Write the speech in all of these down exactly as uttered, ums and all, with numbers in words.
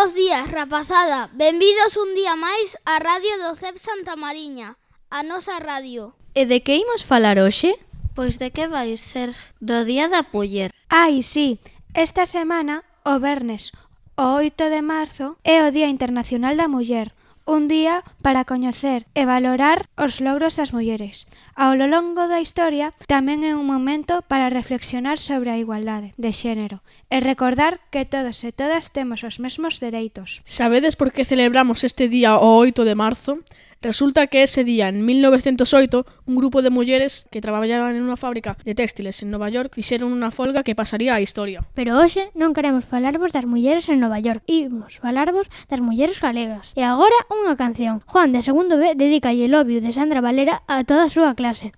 Bos días, rapazada. Benvidos un día máis á radio do C E P Santa Mariña, a nosa radio. E de que imos falar hoxe? Pois de que vai ser do Día da Muller. Ai, sí, esta semana, o vernes, o oito de marzo, é o Día Internacional da Muller, un día para coñecer e valorar os logros das mulleres. Ao longo da historia, tamén é un momento para reflexionar sobre a igualdade de xénero e recordar que todos e todas temos os mesmos dereitos. Sabedes por que celebramos este día o oito de marzo? Resulta que ese día, en mil novecentos oito, un grupo de mulleres que traballaban en unha fábrica de textiles en Nova York fixeron unha folga que pasaría á historia. Pero hoxe non queremos falarvos das mulleres en Nova York, imos falarvos das mulleres galegas. E agora unha canción. Juan, de segundo B, dedica I Love You de Sandra Valera a toda a súa clase.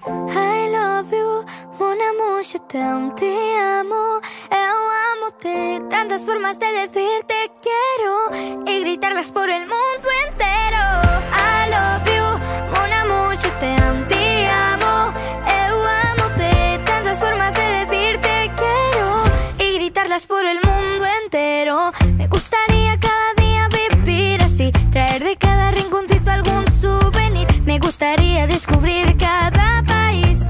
I love you, mon amour, je t'aime, te amo. Eu amo-te, tantas formas de decirte quiero y gritarlas por el mundo entero. I love you, mon amour, je t'aime, te amo. Eu amo-te, tantas formas de decirte quiero y gritarlas por el mundo entero. Me gustaría cada día vivir así, traer de cada rinconcito algún souvenir. Me gustaría descubrir cada país,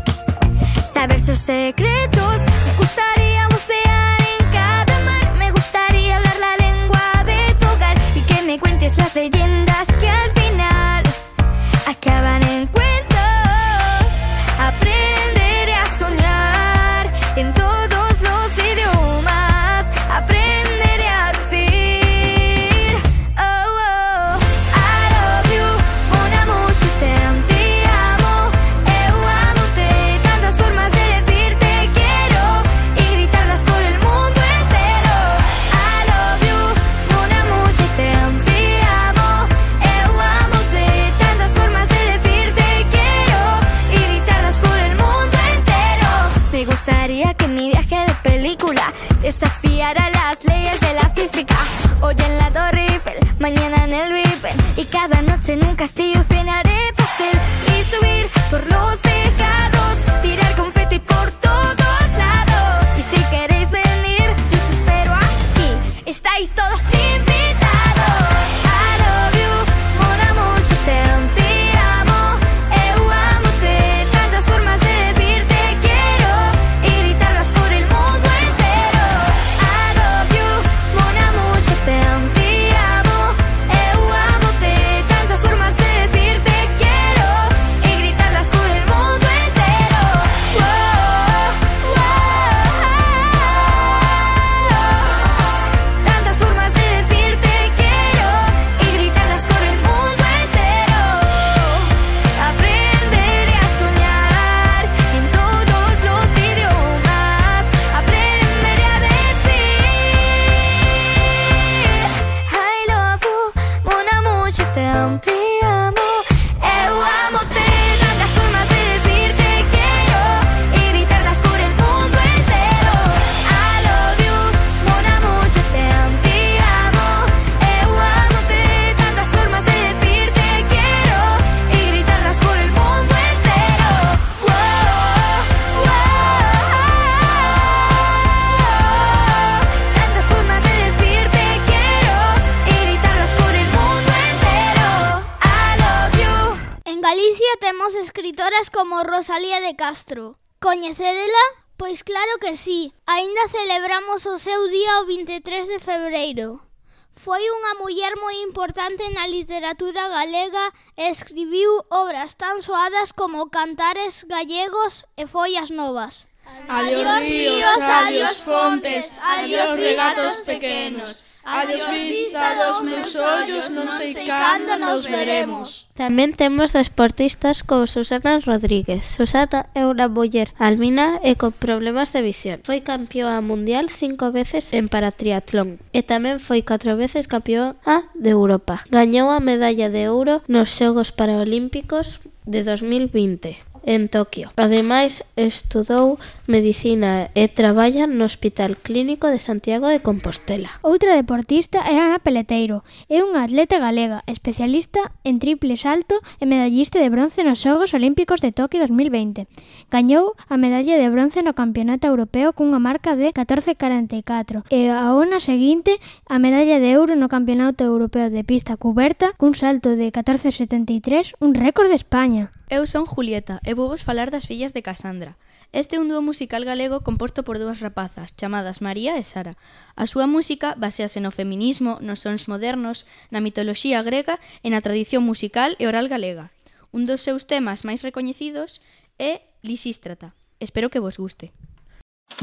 saber sus secretos. Me gustaría bucear en cada mar. Me gustaría hablar la lengua de tu hogar y que me cuentes las leyendas que al final acaban en cuentos. Aprenderé a soñar en todos los idiomas. Aprenderé a decir oh, oh, I love you, mon amour, je t'aime, te amo. Eu amo-te, tantas formas de decirte quiero y gritarlas por el mundo entero. I love you, mon amour, je t'aime, te amo. Eu amo-te, tantas formas de decirte quiero y gritarlas por el mundo entero. Me gustaría que mi viaje de película desafiara las leyes de la física. Hoy en la Torre Eiffel, mañana en el Big Ben, y cada noche en un castillo cenaré pastel y subir por los tejados, tirar confeti por todos lados. Y si queréis venir, yo os espero aquí. Estáis todos invitados. I love you, mon amour, je t'aime, te amo. Eu amo-te, tantas formas de decirte quiero y gritarlas por el mundo entero. I love you, mon amour, je t'aime, te amo. Eu amo-te, tantas formas de decirte quiero y gritarlas por el mundo entero. Wow, wow. Tantas formas de decirte quiero y gritarlas por el mundo entero. Aprenderé a soñar en todos los idiomas. Aprenderé a decir I love you, mon amour, je t'aime, te amo. Eu amo-te, tantas formas de decirte quiero y gritarlas por el mundo entero. I love you, mon amour, je t'aime, te amo. Eu amo-te, tantas formas de decirte quiero y gritarlas por el mundo entero. Wow, wow. Tantas formas de decirte quiero y gritarlas por el mundo entero. I love you. En Galicia temos escritoras como Rosalía de Castro. Coñecédela? Pois claro que sí. Aínda celebramos o seu día o vinte e tres de febreiro. Foi unha muller moi importante na literatura galega e escribiu obras tan soadas como Cantares gallegos e Follas novas. Adiós ríos, adiós fontes, adiós regatos pequenos. Adiós vista dos meus ollos, non sei cando nos veremos. Tamén temos deportistas como Susana Rodríguez. Susana é unha muller albina e con problemas de visión. Foi campeoa mundial cinco veces en paratriatlón e tamén foi catro veces campeoa de Europa. Gañou a medalla de ouro nos Xogos Paralímpicos de dos mil vinte en Tokio. Ademais, estudou medicina e traballa no Hospital Clínico de Santiago de Compostela. Outra deportista é Ana Peleteiro. É unha atleta galega, especialista en triple salto e medallista de bronce nos Xogos Olímpicos de Tokio dos mil veinte. Gañou a medalla de bronce no Campeonato Europeo cunha marca de catorce corenta e catro e ao ano seguinte a medalla de ouro no Campeonato Europeo de pista cuberta cun salto de catorce setenta e tres, un récord de España. Eu son Julieta e vou vos falar das fillas de Casandra. Este é un dúo musical galego composto por dúas rapazas, chamadas María e Sara. A súa música basease no feminismo, nos sons modernos, na mitoloxía grega e na tradición musical e oral galega. Un dos seus temas máis recoñecidos é Lisístrata. Espero que vos guste.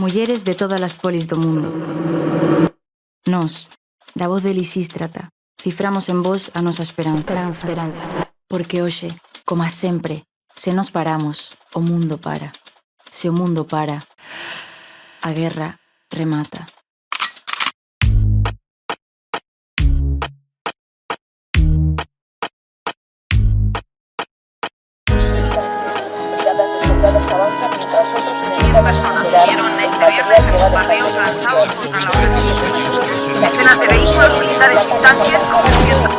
Mulleres de todas as polis do mundo. Nos, da voz de Lisístrata, ciframos en vos a nosa esperanza. Porque hoxe, como sempre, se nos paramos, o mundo para. Se o mundo para, a guerra remata. Diez personas murieron este viernes en bombardeos lanzados contra la organización. Decenas de vehículos militares y tanques convirtiendo.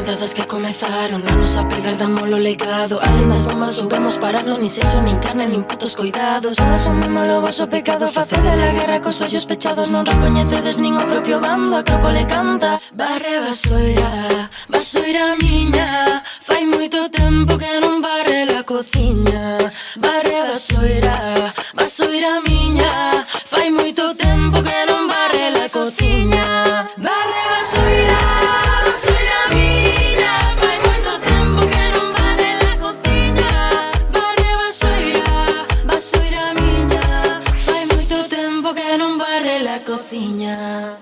Das que comezaron a nos apegar, damos lo legado. Além das bombas soubemos pararnos, nin sexo, nin carne, nin putos cuidados. Non asumimos o vosso pecado, facede la guerra cos ollos pechados. Non recoñecedes nin o propio bando, a Acrópole canta. Barre vasoira, vasoira miña, fai moito tempo que non barre la cociña. Barre vasoira, vasoira miña, fai moito tempo que non barre la cociña. Barre vasoira, vasoira miña. Cociña.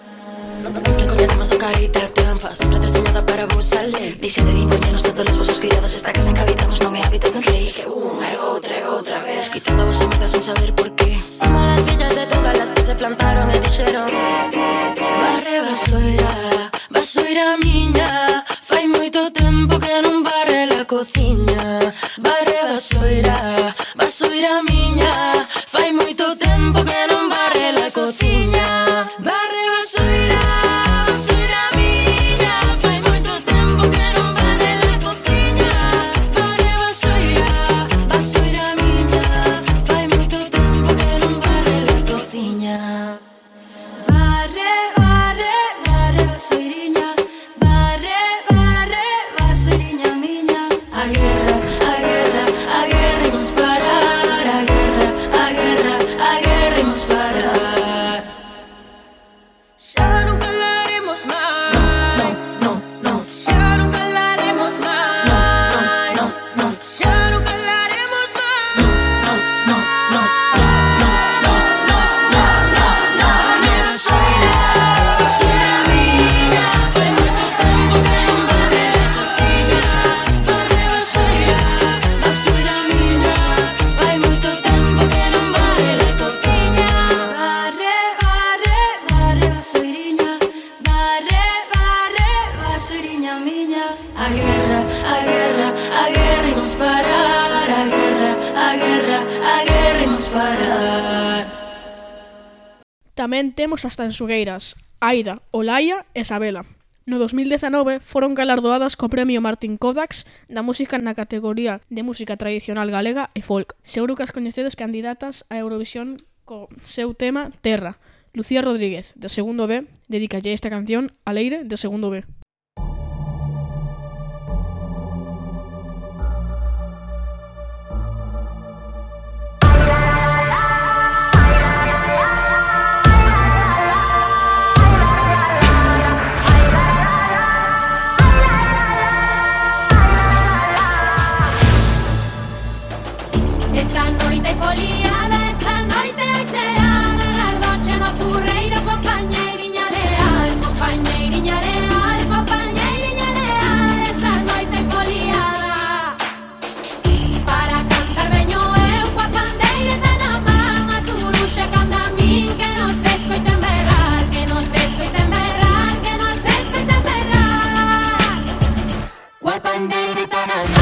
Es que coñecemos o carita de anfa, sempre deseñada para vos salir. Dixe de diñoñenos todos os vosos cuidados. Esta casa en que habitamos non é hábitat dun rei. Que unha e outra e outra vez escoitando a vosa merda sen saber por qué. Somos las villas de todas las que se plantaron e dixeron barre vasoira, vasoira miña, fai moito tempo que non barre la cociña. Barre vasoira, vasoira miña, fai moito tempo que non barre la cociña. Barre vasoira, vasoira miña, fai moito tempo que non barre la cociña. Barre vasoira, vasoira miña, fai moito tempo que non barre la cociña. Barre, barre, barre vasoiriña, barre, barre, vasoiriña miña. A guerra, a guerra, a guerra imos parar. A guerra, a guerra, a guerra imos parar. Ya nunca la haremos más. No, no, no, no. Ya nunca la haremos más. No, no, no, no. Ya nunca la haremos más. No, no, no, no, no, no, no, no, no, no, no. Vasoira, vasoira miña, fai moito tempo que non barre la cociña. Barre vasoira, vasoira miña, fai moito tempo que non barre la cociña. Barre, barre, barre vasoiriña, barre, barre, vasoiriña miña. A guerra, a guerra, a guerra imos parar. A guerra, a guerra, a guerra imos parar. Tamén temos as tanxugueiras, Aida, Olaya e Sabela. No dos mil dezanove foron galardoadas co premio Martín Kodax da música na categoría de música tradicional galega e folk. Seguro que as coñecedes candidatas a Eurovisión co seu tema Terra. Lucía Rodríguez, de segundo B, dedícalle esta canción a Leire, de segundo B. Esta noite foliada, esta noite será a noche no turreiro, compañeiriña leal, compañeiriña leal, compañeiriña leal. Esta noite foliada, para cantar veño eu coa pandeireta na man, a turuxa canta a min, que non se escoiten berrar, que non se escoiten berrar, que non se escoiten berrar. Coa pandeireta na man.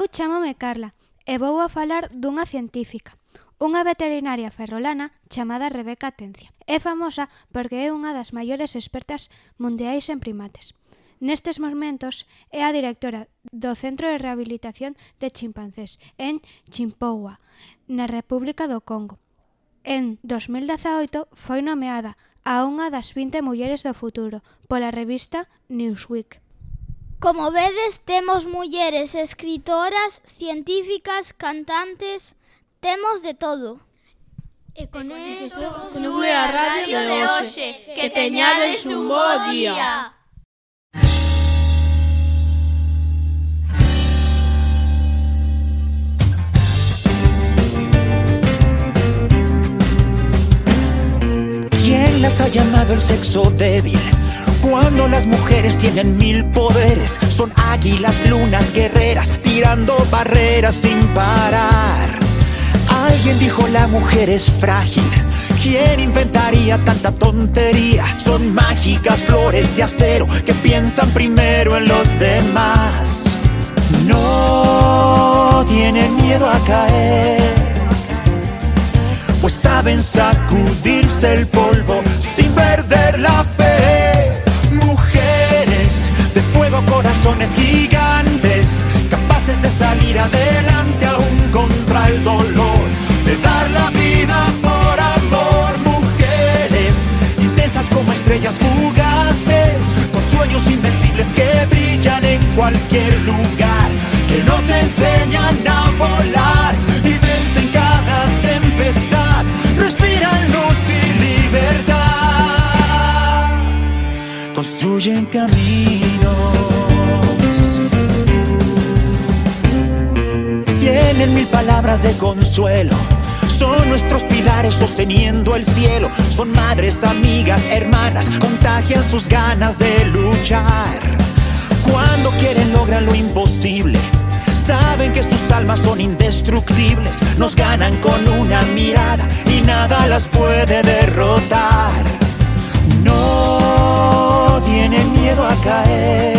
Eu chámome Carla e vou a falar dunha científica, unha veterinaria ferrolana chamada Rebeca Atencia. É famosa porque é unha das maiores expertas mundiais en primates. Nestes momentos é a directora do Centro de Rehabilitación de Chimpancés en Chimpoua, na República do Congo. En dos mil dezaoito foi nomeada a unha das vinte mulleres do futuro pola revista Newsweek. Como vedes, temos mulleres escritoras, científicas, cantantes, temos de todo. E con isto conclúe a radio de hoxe. Que teñades un bo día. ¿Quién las ha llamado el sexo débil? Cuando las mujeres tienen mil poderes, son águilas, lunas, guerreras, tirando barreras sin parar. Alguien dijo la mujer es frágil. ¿Quién inventaría tanta tontería? Son mágicas flores de acero que piensan primero en los demás. No tienen miedo a caer, pues saben sacudirse el polvo sin perder la fe. Mujeres de fuego, corazones gigantes, capaces de salir adelante aún contra el dolor, de dar la vida por amor. Mujeres intensas como estrellas fugaces, con sueños invencibles que brillan en cualquier lugar, que nos enseñan a volar y vencen cada tempestad, respiran luz y libertad, construyen caminos, tienen mil palabras de consuelo, son nuestros pilares sosteniendo el cielo, son madres, amigas, hermanas, contagian sus ganas de luchar. Cuando quieren logran lo imposible, saben que sus almas son indestructibles, nos ganan con una mirada y nada las puede derrotar. No tienen miedo a caer,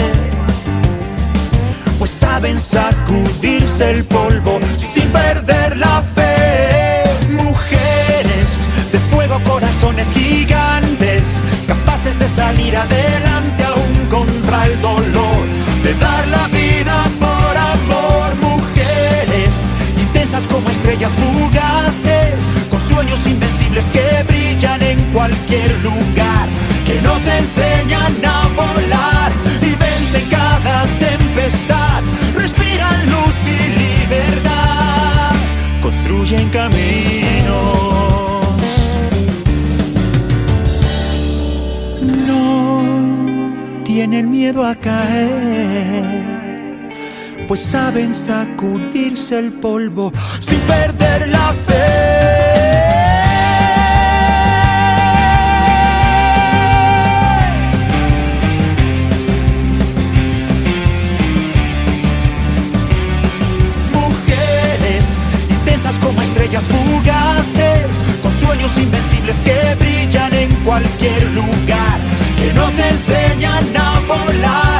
pues saben sacudirse el polvo sin perder la fe. Mujeres de fuego, corazones gigantes, capaces de salir adelante aún contra el dolor, de dar la vida por amor. Mujeres intensas como estrellas fugaces, con sueños invencibles que brillan en cualquier lugar, que nos enseñan a volar y vencen cada tempestad, respiran luz y libertad, construyen caminos. No tienen miedo a caer, pues saben sacudirse el polvo sin perder la fe. Como estrellas fugaces, con sueños invencibles que brillan en cualquier lugar, que nos enseñan a volar